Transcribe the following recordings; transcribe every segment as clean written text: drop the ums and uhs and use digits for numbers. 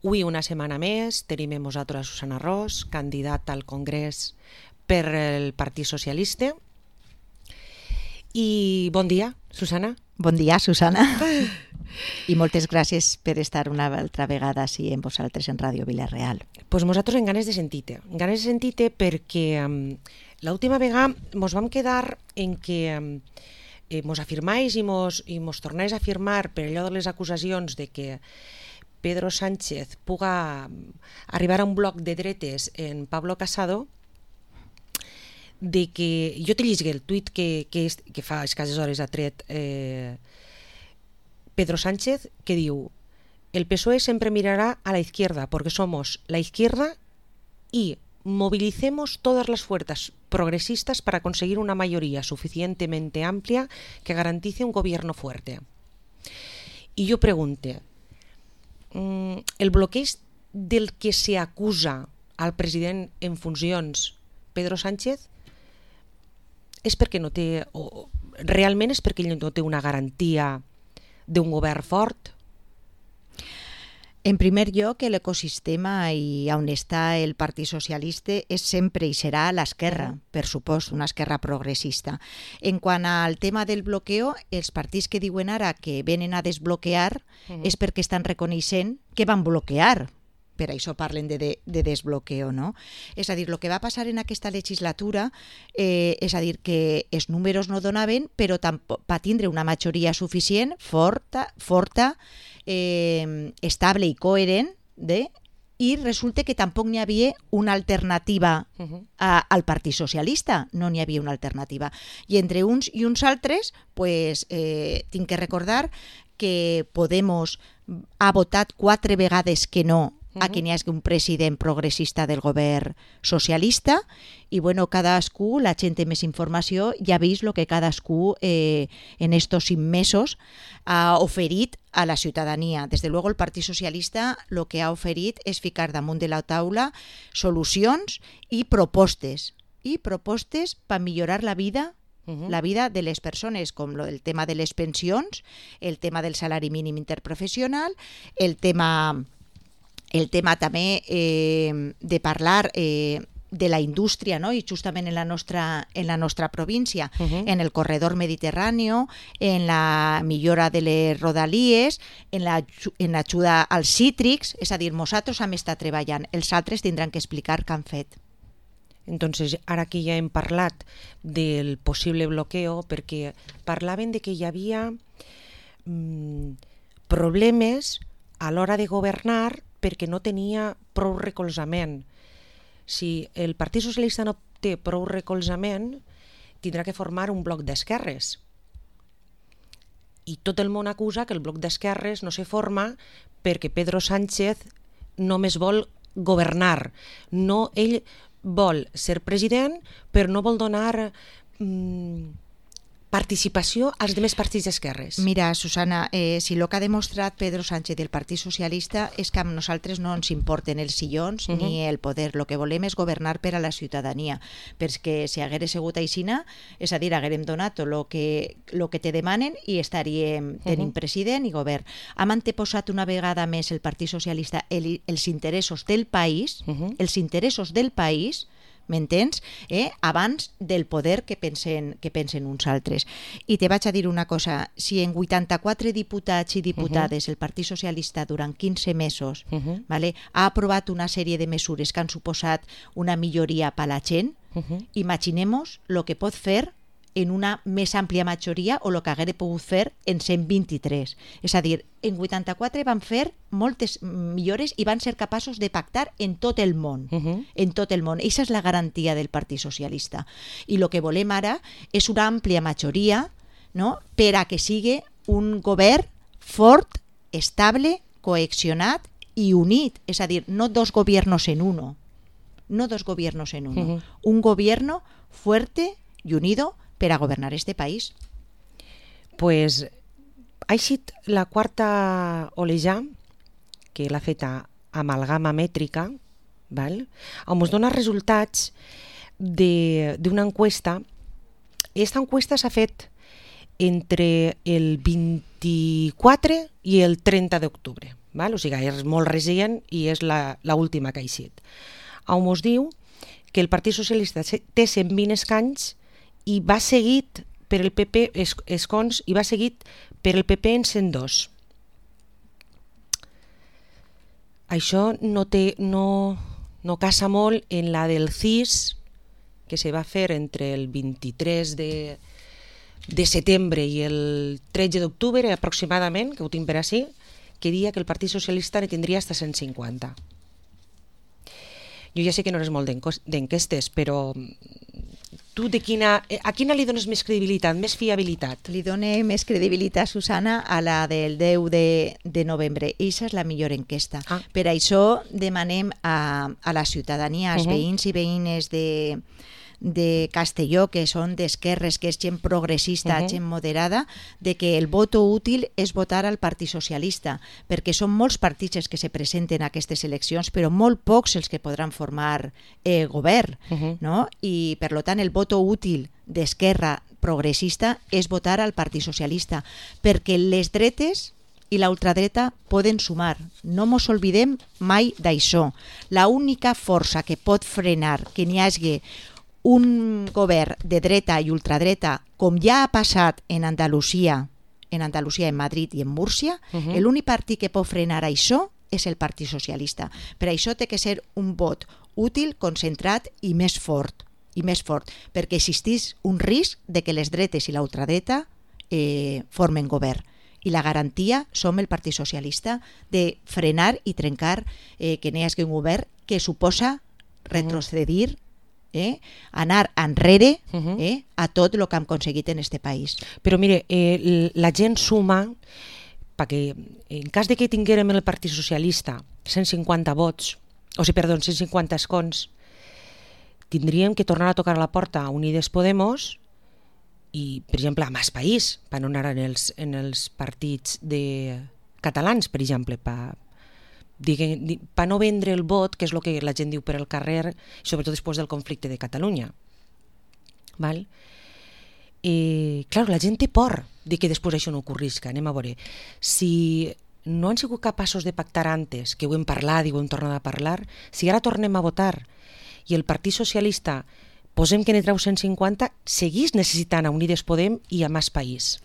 Avui una setmana més tenim amb nosaltres a Susana Ros, candidata al Congrés per el Partit Socialista. I bon dia, Susana. Bon dia, Susana. I moltes gràcies per estar una altra vegada així amb vosaltres en Ràdio Vila-real. Pues nosaltres en ganes de sentir-te, perquè l'última vegada mos vam quedar en que mos afirmais i mos tornais a afirmar per allò de les acusacions de que Pedro Sánchez puga arribar a un bloc de dretes en Pablo Casado, de que jo te llisgué el tuit que fa escasses hores ha tret Pedro Sánchez, que diu: el PSOE siempre mirará a la izquierda porque somos la izquierda y movilicemos todas las fuerzas progresistas para conseguir una mayoría suficientemente amplia que garantice un gobierno fuerte. Y yo pregunte, el bloqueig del que se acusa al president en funcions Pedro Sánchez és perquè no té, o realment és perquè ell no té una garantia d'un govern fort? En primer lloc, l'ecosistema i on està el Partit Socialista és sempre i serà l'esquerra, per supost, una esquerra progressista. En quant al tema del bloqueo, els partits que diuen ara que venen a desbloquear és perquè estan reconeixent que van bloquear. Per això parlen de desbloqueo, no? És a dir, el que va passar en aquesta legislatura és a dir que els números no donaven, però va tindre una majoria suficient, forta, estable i coherent, i resulta que tampoc n'hi havia una alternativa al Partit Socialista, no n'hi havia una alternativa. I entre uns i uns altres, tinc que recordar que Podemos ha votat 4 vegades que no a que n'hi hagi un president progressista del govern socialista, i cadascú, la gent té més informació, ja ha vist el que cadascú en estos 5 mesos ha oferit a la ciutadania. Des de luego el Partit Socialista el que ha oferit és ficar damunt de la taula solucions i propostes per millorar la vida de les persones, com el tema de les pensions, el tema del salari mínim interprofessional, el tema també de parlar de la indústria, no? I justament en la nostra província, en el corredor mediterrani, en la millora de les rodalies, en l'ajuda als cítrics, és a dir, nosaltres hem estat treballant, els altres tindran que explicar què han fet. Entonces, ara que ja hem parlat del possible bloqueo, perquè parlaven de que hi havia problemes a l'hora de governar perquè no tenia prou recolzament. Si el Partit Socialista no té prou recolzament, tindrà que formar un bloc d'esquerres. I tot el món acusa que el bloc d'esquerres no se forma perquè Pedro Sánchez només vol governar. No, ell vol ser president, però no vol donar participació als demés partits d'esquerres. Mira, Susana, si el que ha demostrat Pedro Sánchez del Partit Socialista és que a nosaltres no ens importen els sillons ni el poder. El que volem és governar per a la ciutadania, perquè si hagués sigut aixina, és a dir, haguérem donat el que te demanen i estaríem tenint president i govern. Hem anteposat una vegada més el Partit Socialista els interessos del país, m'entens? Abans del poder que pensen uns altres. I te vaig a dir una cosa, si en 84 diputats i diputades el Partit Socialista durant 15 mesos ha aprovat una sèrie de mesures que han suposat una milloria per a la gent, imaginem-nos el que pot fer en una més àmplia majoria o el que hagués pogut fer en 123. És a dir, en 84 van fer moltes millores i van ser capaços de pactar en tot el món. En tot el món. Aquesta és la garantia del Partit Socialista. I el que volem ara és una àmplia majoria, no?, per a que sigui un govern fort, estable, cohesionat i unit. És a dir, no dos gobiernos en uno. Un gobierno fuerte y unido per a governar este país. Pues ha eixit la quarta oleja, que l'ha feta amalgama mètrica, on ens dona resultats d'una encuesta. Aquesta encuesta s'ha fet entre el 24 i el 30 d'octubre. val? O sigui, és molt recent i és l'última que ha eixit, on mos diu que el Partit Socialista té 120 escanys i va seguit per el PP escons i va seguit per el PP en 102. Això no casa molt en la del CIS, que se va fer entre el 23 de setembre i el 13 d'octubre aproximadament, que ho tinc per així, que dia que el Partit Socialista ne tindria hasta 150. Jo ja sé que no eres molt d'enquestes, però tu a quina li dones més credibilitat, més fiabilitat? Li done més credibilitat, Susana, a la del 10 de novembre. Eixa és la millor enquesta. Per això demanem a la ciutadania, als veïns i veïnes de Castelló, que són d'esquerres, que és gent progressista, gent moderada, de que el voto útil és votar al Partit Socialista, perquè són molts partits els que se presenten a aquestes eleccions, però molt pocs els que podran formar govern, no? I per tant el voto útil d'esquerra progressista és votar al Partit Socialista, perquè les dretes i la ultradreta poden sumar. No mos oblidem mai d'això. La única força que pot frenar que n'hi hagi un govern de dreta i ultradreta, com ja ha passat en Andalusia, en Madrid i en Múrcia, l'únic partit que pot frenar això és el Partit Socialista. Per això té que ser un vot útil, concentrat i més fort, perquè existís un risc de que les dretes i la ultradreta formen govern. I la garantia som el Partit Socialista de frenar i trencar que n'hi hagi un govern que suposa retrocedir, anar enrere a tot el que hem aconseguit en este país. Però mire, la gent suma perquè en cas de que tinguérem el Partit Socialista 150 vots, 150 escons, tindríem que tornar a tocar la porta a Unides Podemos i, per exemple, a Más País, per no anar en els partits catalans, per exemple, per no vendre el vot, que és el que la gent diu per el carrer, sobretot després del conflicte de Catalunya. Val? Clar, la gent té por de que després això no ocorrisca. Anem a veure. Si no han sigut capaços de pactar antes, que ho hem parlat i ho hem tornat a parlar, si ara tornem a votar i el Partit Socialista posem que ne treu 150, seguís necessitant a Unides Podem i a Más País.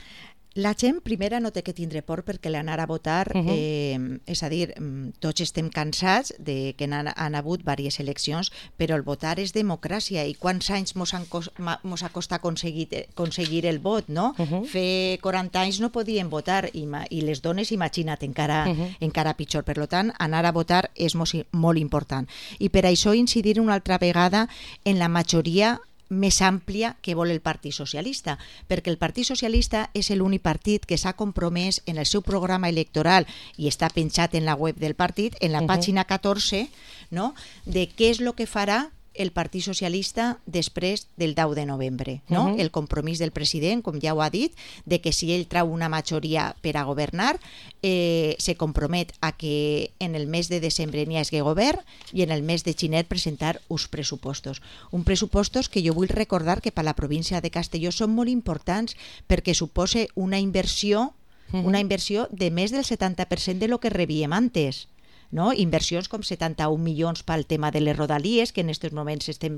La gent, primera, no té que tindre por perquè l'anar a votar, és a dir, tots estem cansats de que han hagut diverses eleccions, però el votar és democràcia i quants anys mos ha costat aconseguir el vot, no? Fer 40 anys no podien votar i les dones, imagina't, encara pitjor. Per tant, anar a votar és molt important. I per això incidir una altra vegada en la majoria més àmplia que vol el Partit Socialista, perquè el Partit Socialista és l'únic partit que s'ha compromès en el seu programa electoral i està penjat en la web del partit, en la pàgina 14, no?, de què és el que farà el Partit Socialista després del 10 de novembre. No? El compromís del president, com ja ho ha dit, de que si ell trau una majoria per a governar, se compromet a que en el mes de desembre n'hi hagi govern i en el mes de gener presentar uns pressupostos. Uns pressupostos que jo vull recordar que per a la província de Castelló són molt importants perquè suposa una inversió de més del 70% de lo que rebíem antes. No? Inversions com 71 milions pel tema de les rodalies, que en aquests moments estem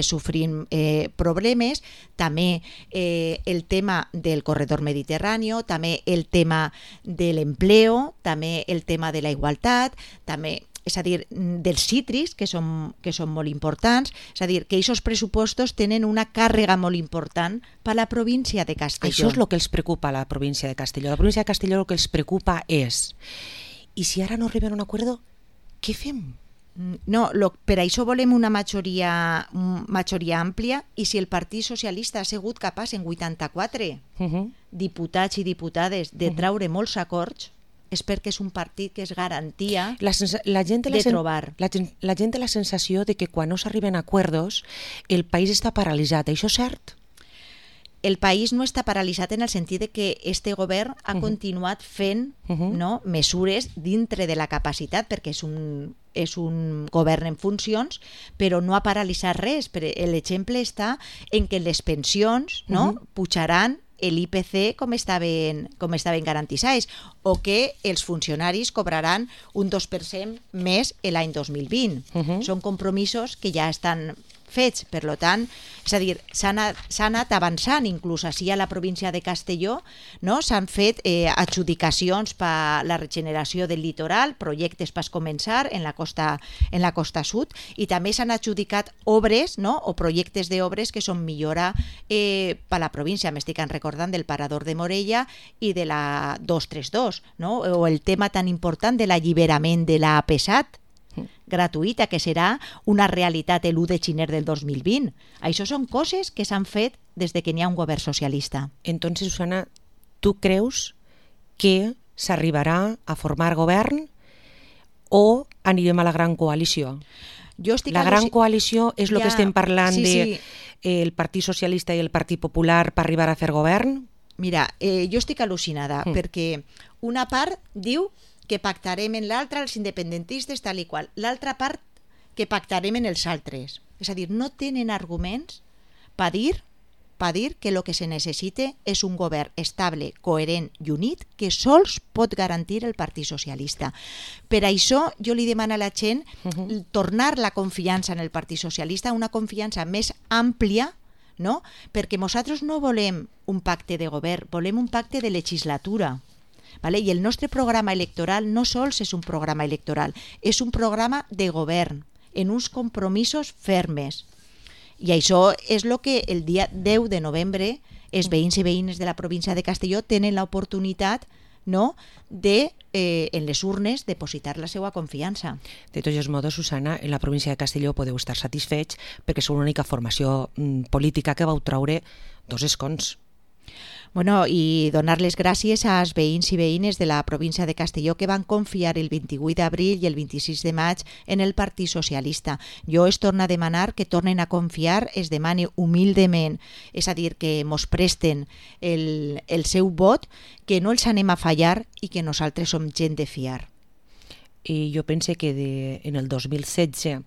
sofrint problemes, també el tema del corredor mediterrani, també el tema de l'empleo, també el tema de la igualtat, també, és a dir, dels cítrics, que són molt importants, és a dir, que aquests pressupostos tenen una càrrega molt important per a la província de Castelló. Això és el que els preocupa a la província de Castelló. La província de Castelló el que els preocupa és: i si ara no arriben a un acord, què fem? No, per això volem una majoria àmplia, i si el Partit Socialista ha sigut capaç en 84 diputats i diputades de traure molts acords, és perquè és un partit que és garantia de trobar. La gent té la sensació de que quan no s'arriben a acords el país està paralitzat. Això és cert? El país no està paralitzat en el sentit de que este govern ha continuat fent mesures dintre de la capacitat, perquè és un govern en funcions, però no ha paralitzat res. L'exemple està en que les pensions pujaran l'IPC com estaven garantitzats, o que els funcionaris cobraran un 2% més l'any 2020. Són compromisos que ja estan fets, per tant, és a dir, s'ha anat avançant, inclús així a la província de Castelló, no? S'han fet adjudicacions per la regeneració del litoral, projectes per començar en la costa sud, i també s'han adjudicat obres, no? O projectes d'obres que són millora per la província. M'estic recordant del Parador de Morella i de la 232, no? O el tema tan important de l'alliberament de la APSAT, gratuïta, que serà una realitat l'1 de gener del 2020. Això són coses que s'han fet des de que n'hi ha un govern socialista. Entonces, Susana, ¿tú creus que s'arribarà a formar govern o anirem a la gran coalició? La gran coalició és el que estem parlant del Partit Socialista i el Partit Popular per arribar a fer govern? Mira, jo estic al·lucinada perquè una part diu que pactarem en l'altra els independentistes tal i qual, l'altra part que pactarem en els altres. És a dir, no tenen arguments per dir que el que se necessita és un govern estable, coherent i unit que sols pot garantir el Partit Socialista. Per això jo li demano a la gent tornar la confiança en el Partit Socialista, una confiança més àmplia, no? Perquè nosaltres no volem un pacte de govern, volem un pacte de legislatura. Vale? I el nostre programa electoral no sols és un programa electoral, és un programa de govern, en uns compromisos fermes. I això és el que el dia 10 de novembre els veïns i veïnes de la província de Castelló tenen l'oportunitat, no, de, en les urnes, depositar la seva confiança. De tots els modos, Susana, en la província de Castelló podeu estar satisfets perquè sou l'única formació política que vau traure 2 escons. Bueno, i donar les gràcies als veïns i veïnes de la província de Castelló que van confiar el 28 d'abril i el 26 de maig en el Partit Socialista. Jo es torno a demanar que tornen a confiar, es demani humilment, és a dir, que mos presten el seu vot, que no els anem a fallar i que nosaltres som gent de fiar. I jo pense que en el 2016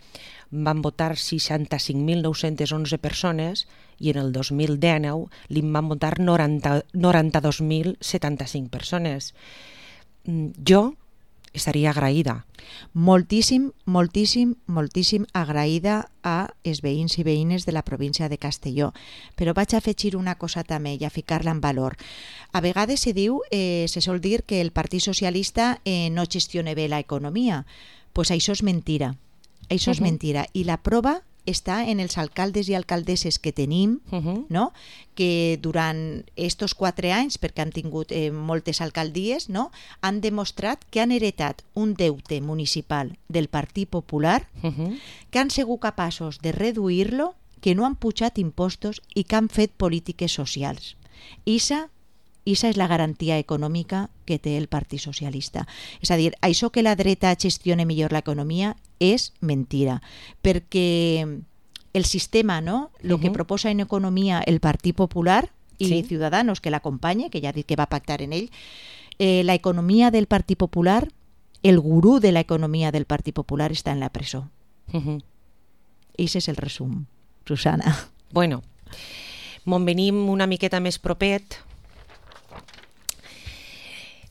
van votar 65.911 persones i en el 2019 li van votar 92.075 persones. Jo estaria agraïda. Moltíssim agraïda a els veïns i veïnes de la província de Castelló. Però vaig a afegir una cosa també i a ficar-la en valor. A vegades se sol dir que el Partit Socialista no gestiona bé l'economia. Pues això és mentira. Això és mentira. I la prova està en els alcaldes i alcaldesses que tenim, no? Que durant estos 4 anys, perquè han tingut moltes alcaldies, no? Han demostrat que han heretat un deute municipal del Partit Popular, que han sigut capaços de reduir-lo, que no han pujat impostos i que han fet polítiques socials. Ixa és la garantia econòmica que té el Partit Socialista. És a dir, això que la dreta gestione millor l'economia és mentira, perquè el sistema, no? El que proposa en economia el Partit Popular i Ciudadanos, que l'acompanya, que ja ha dit que va pactar en ell, l'economia del Partit Popular, el gurú de l'economia del Partit Popular està en la presó. Ese és el resum, Susana. Bueno, me'n venim una miqueta més propet.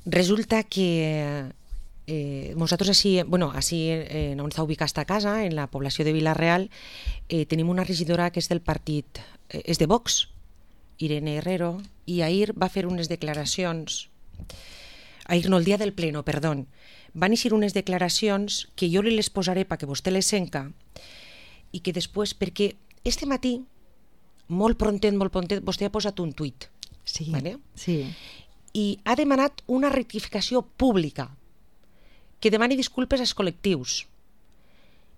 Resulta que nosaltres així, on està ubicada esta casa, en la població de Vila-real, tenim una regidora que és del partit, és de Vox, Irene Herrero, i ahir va fer unes declaracions, el dia del pleno, perdó, van eixir unes declaracions que jo li les posaré perquè vostè les senca, i que després, perquè este matí, molt prontet, vostè ha posat un tuit. Sí, vale? Sí. I ha demanat una rectificació pública, que demani disculpes als col·lectius,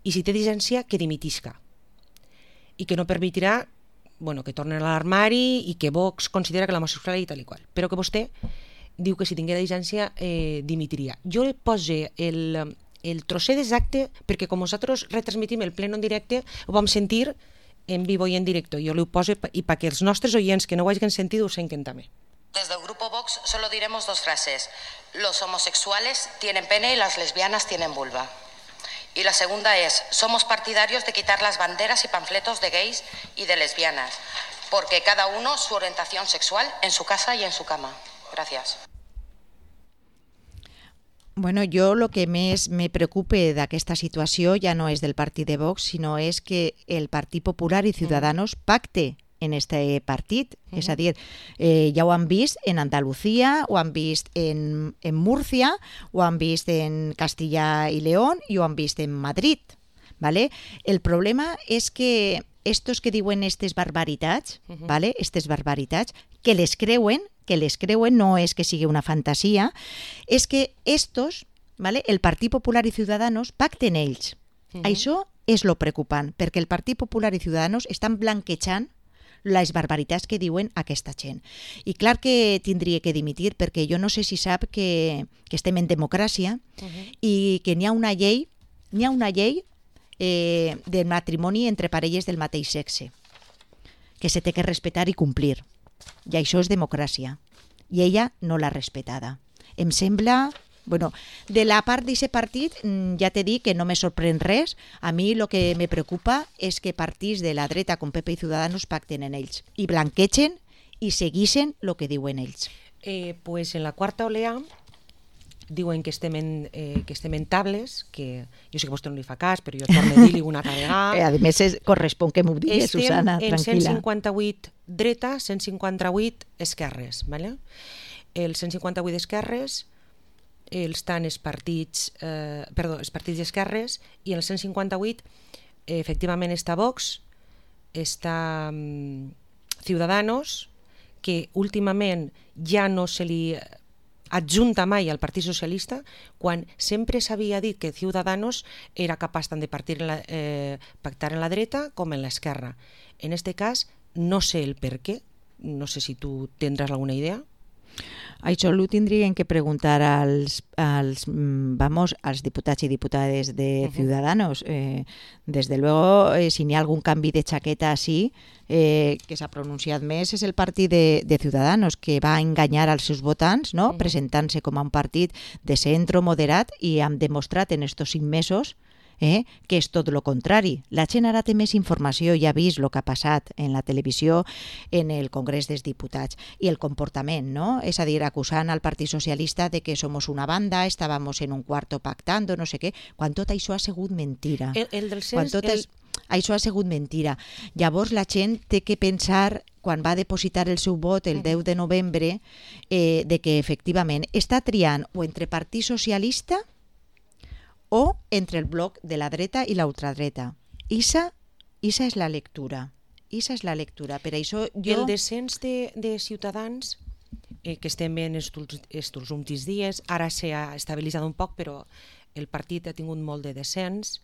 i si té llicència, que dimitisca, i que no permetirà que tornen a l'armari i que Vox considera que l'homosexualitat i tal i qual, però que vostè diu que si tinguera llicència dimitiria. Jo li poso el trosset exacte perquè com nosaltres retransmitim el pleno en directe ho vam sentir en vivo i en directe. Jo li ho poso i perquè els nostres oients que no ho hagin sentit ho senten també. Desde el Grupo Vox solo diremos 2 frases. Los homosexuales tienen pene y las lesbianas tienen vulva. Y la segunda es, somos partidarios de quitar las banderas y panfletos de gays y de lesbianas. porque cada uno su orientación sexual en su casa y en su cama. Gracias. Bueno, jo el que més me preocupa d'aquesta situació ja no és del partit de Vox, sinó és que el Partit Popular i Ciudadanos pacte en este partit. És a dir, ja ho han vist en Andalucía, ho han vist en Múrcia, ho han vist en Castilla y León i ho han vist en Madrid. ¿Vale? El problema és que estos que diuen aquestes barbaritats, ¿vale? Aquestes barbaritats, que les creuen, no és que sigui una fantasia, és que estos, ¿vale? El Partit Popular i Ciudadanos pacten ells. Això és lo preocupant, perquè el Partit Popular i Ciudadanos estan blanquejant les barbaritats que diuen aquesta gent. I clar que tindria que dimitir, perquè jo no sé si sap que estem en democràcia i que n'hi ha una llei de matrimoni entre parelles del mateix sexe, que se té que respectar i complir. I això és democràcia. I ella no l'ha respetada. Em sembla... Bueno, de la part d'aquest partit ja t'he dit que no me sorprèn res. A mi el que me preocupa és que partits de la dreta com PP i Ciudadanos pacten en ells i blanquegen i seguixen el que diuen ells. Pues en la quarta olea diuen que estem en tables, que jo sé que vostè no li fa cas, però jo torno a dir-li una vegada. A més, correspon que m'ho digui, Susana, tranquil·la. Estem en 158 dreta, 158 esquerres. ¿Vale? El 158 esquerres estan els partits d'esquerres i en el 158 efectivament està Vox, està Ciudadanos, que últimament ja no se li adjunta mai al Partit Socialista, quan sempre s'havia dit que Ciudadanos era capaç tant de pactar en la dreta com en l'esquerra. En este cas no sé el per què, no sé si tu tindràs alguna idea. Això ho tindrien que preguntar als diputats i diputades de Ciudadanos. Desde luego, si n'hi ha algun canvi de xaqueta així, que s'ha pronunciat més és el partit de Ciudadanos, que va enganyar als seus votants, no? Presentant-se com a un partit de centre moderat, i han demostrat en estos 5 mesos que és tot el contrari. La gent ara té més informació, ja ha vist el que ha passat en la televisió, en el Congrés dels Diputats, i el comportament, no? És a dir, acusant al Partit Socialista de que somos una banda, estábamos en un cuarto pactando, no sé què, quan tot això ha sigut mentira. Això ha sigut mentira. Llavors la gent té que pensar, quan va depositar el seu vot el 10 de novembre, de que efectivament està triant o entre Partit Socialista o entre el bloc de la dreta i l'ultradreta. Esa és la lectura. Per això jo... El descens de Ciutadans, que estem en estos últims dies, ara s'ha estabilitzat un poc, però el partit ha tingut molt de descens,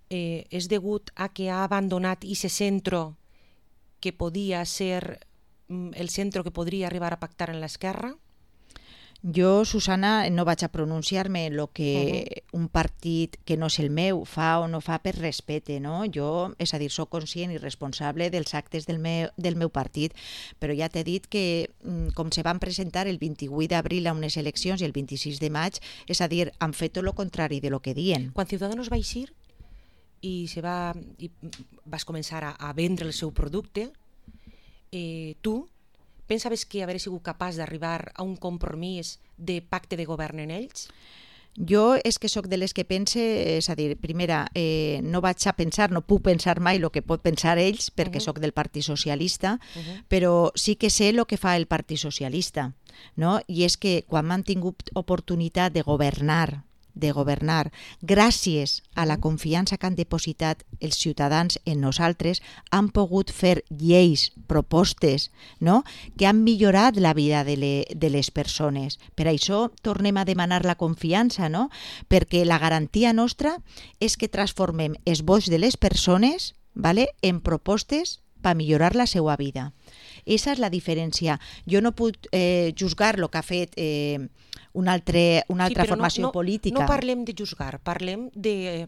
és degut a que ha abandonat aquest centre que podia ser el centre que podria arribar a pactar en l'esquerra? Jo, Susana, no vaig a pronunciar-me en el que un partit que no és el meu fa o no fa per respecte, no? Jo, és a dir, soc conscient i responsable dels actes del meu partit, però ja t'he dit que com se van presentar el 28 d'abril a unes eleccions i el 26 de maig, és a dir, han fet tot el contrari de lo que diuen. Quan Ciudadanos va eixir i vas començar a vendre el seu producte, tu pensaves que hauria sigut capaç d'arribar a un compromís de pacte de govern en ells? Jo és que sóc de les que pense, és a dir, primera, no vaig a pensar, no puc pensar mai el que pot pensar ells, perquè sóc del Partit Socialista, però sí que sé el que fa el Partit Socialista, no? I és que quan han tingut oportunitat de governar gràcies a la confiança que han depositat els ciutadans en nosaltres, han pogut fer lleis, propostes, no? Que han millorat la vida de les persones. Per això tornem a demanar la confiança, no? Perquè la garantia nostra és que transformem els vots de les persones, ¿vale?, en propostes per millorar la seva vida. Esa és la diferència. Jo no puc juzgar el que ha fet una altra formació política. No parlem de juzgar, parlem de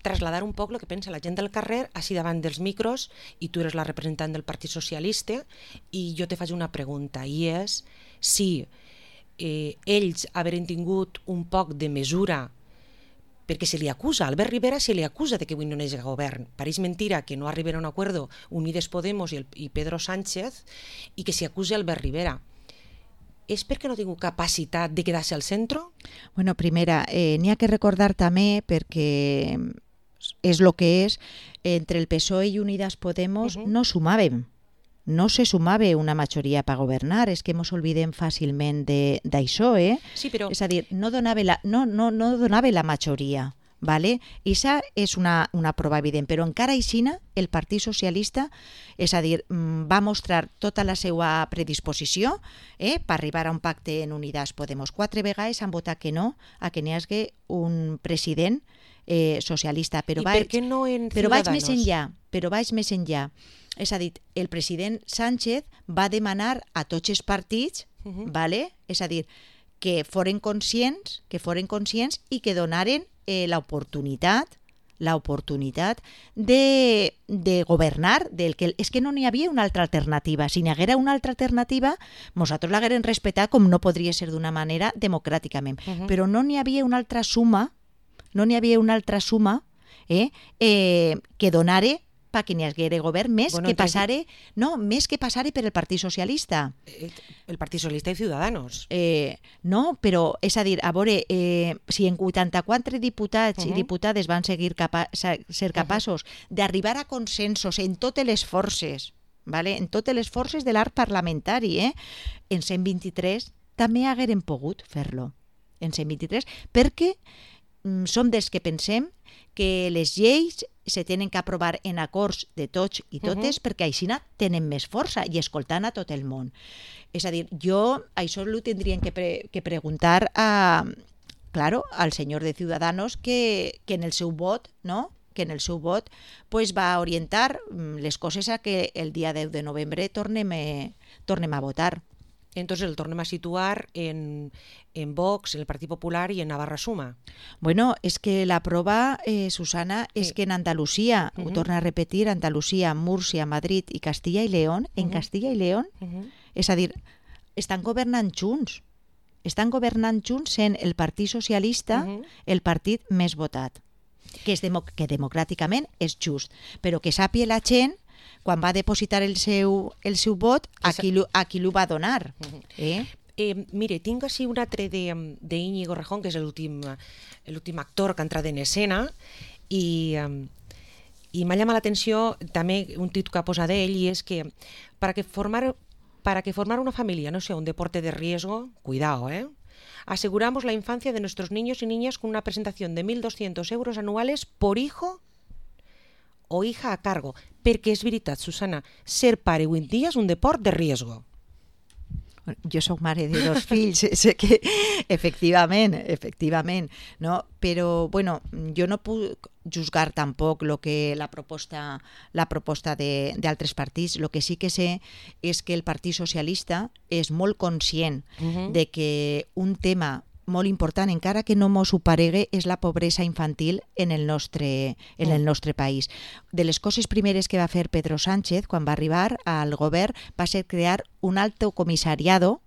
trasladar un poc el que pensa la gent del carrer així davant dels micros, i tu eres la representant del Partit Socialista, i jo te faig una pregunta, i és si ells haveren tingut un poc de mesura perquè se li acusa, Albert Rivera se li acusa de que avui no és govern. Pareix mentira que no arribarà a un acuerdo Unides Podemos i Pedro Sánchez i que s'hi acusa Albert Rivera. És perquè no ha tingut capacitat de quedar-se al centre? Bueno, primera, n'hi ha que recordar també, perquè és el que és, entre el PSOE i Unidas Podemos no sumàvem. No se sumava una majoria per governar, és que ens oblidem fàcilment d'això, Sí, però... És a dir, no donava la majoria, ¿vale? I això és una prova evident, però encara aixina el Partit Socialista, és a dir, va mostrar tota la seva predisposició per arribar a un pacte en Unidas Podemos. 4 vegades han votat que no a que n'hi hagi un president socialista, però per què no en Ciudadanos? vaig més enllà. És a dir, el president Sánchez va demanar a tots els partits, ¿vale? És a dir, que foren conscients i que donaren l'oportunitat de governar, és que no n'hi havia una altra alternativa. Si n'hi haguera una altra alternativa, nosaltres l'haguérem respetat com no podria ser d'una manera democràticament. Però no n'hi havia una altra suma, que donara perquè n'hi haguera govern més que passare per el Partit Socialista. El Partit Socialista i Ciudadanos. No, però és a dir, a veure, si en 84 diputats i diputades van ser capaços d'arribar a consensos en totes les forces, ¿vale? En totes les forces de l'art parlamentari, en 123 també hagueren pogut fer-lo. En 123, perquè som dels que pensem que les lleis se tenen que aprovar en acords de tots i totes perquè així tenen més força i escoltant a tot el món. És a dir, jo això ho tindrien que preguntar al senyor de Ciudadanos que en el seu vot, no?, que en el seu vot va orientar les coses a que el dia 10 de novembre tornem a votar. Entonces el tornem a situar en Vox, en el Partit Popular i en Navarra Suma. Bueno, és que la prova, Susana, és que en Andalusia, ho torno a repetir, Andalusia, Múrcia, Madrid i Castilla i León, en Castilla i León, és a dir, estan governant junts. Estan governant junts sent el Partit Socialista el partit més votat, que democràticament és just, però que sàpiga la gent quan va depositar el seu vot, a qui l'ho va donar. Mire, tinc així un altre d'Íñigo Rejón, que és l'últim actor que ha entrat en escena, i m'ha llamat l'atenció també un títol que ha posat ell, i és que para que formar una familia no sea un deporte de riesgo, cuidado, aseguramos la infancia de nuestros niños y niñas con una presentación de 1.200 euros anuales por hijo o hija a cargo, perquè és veritat, Susana, ser pare avui en dia és un deport de riesgo. Jo soc mare de 2 fills, sé que efectivament, no? Però bueno, jo no puc juzgar tampoc la proposta d'altres partits. El que sí que sé és que el Partit Socialista és molt conscient de que un tema molt important, encara que no mos ho paregui, és la pobresa infantil en el nostre país. De les coses primeres que va fer Pedro Sánchez quan va arribar al govern va ser crear un alto comissariado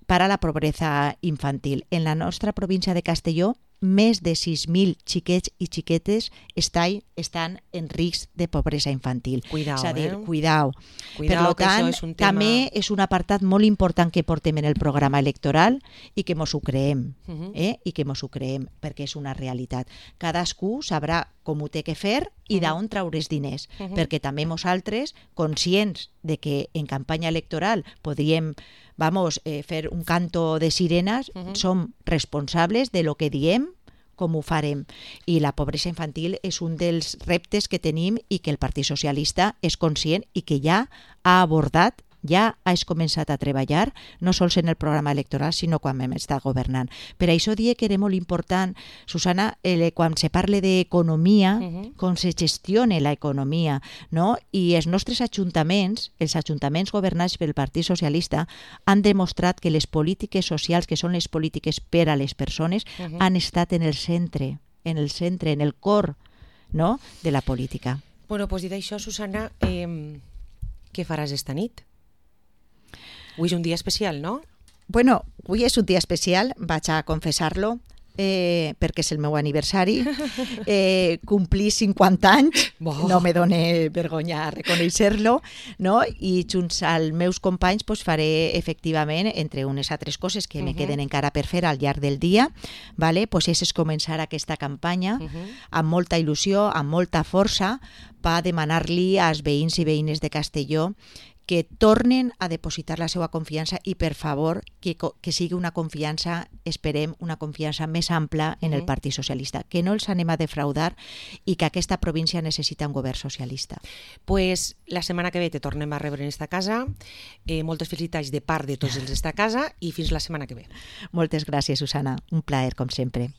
per a la pobresa infantil. En la nostra província de Castelló, més de 6.000 xiquets i xiquetes estan en risc de pobresa infantil. Cuidao, és a dir, cuidao. Per tant, és un tema... també és un apartat molt important que portem en el programa electoral i que mos ho creem, perquè és una realitat. Cadascú sabrà com ho té que fer i d'on traure els diners, perquè també nosaltres, conscients de que en campanya electoral podríem fer un canto de sirenes, som responsables de lo que diem, com ho farem. I la pobresa infantil és un dels reptes que tenim i que el Partit Socialista és conscient i que ja ha abordat, ja has començat a treballar, no sols en el programa electoral, sinó quan hem estat governant. Per això dic que era molt important, Susana, quan se parla d'economia, com se gestiona l'economia, no? I els nostres ajuntaments, els ajuntaments governats pel Partit Socialista, han demostrat que les polítiques socials, que són les polítiques per a les persones, han estat en el centre, en el cor, no?, de la política. Bueno, doncs dit això, Susana, què faràs esta nit? Avui és un dia especial, no? Bueno, avui és un dia especial, vaig a confessar-lo. perquè és el meu aniversari, complir 50 anys, no me dóna vergonya reconèixer-lo, no? I junts als meus companys faré efectivament, entre unes altres coses que me queden encara per fer al llarg del dia, vale? És començar aquesta campanya amb molta il·lusió, amb molta força, per demanar-li als veïns i veïnes de Castelló que tornen a depositar la seva confiança i, per favor, que sigui una confiança, esperem, una confiança més ampla en el Partit Socialista, que no els anem a defraudar i que aquesta província necessita un govern socialista. Pues la setmana que ve te tornem a rebre en esta casa. Moltes felicitats de part de tots els d'esta casa i fins la setmana que ve. Moltes gràcies, Susana. Un plaer, com sempre.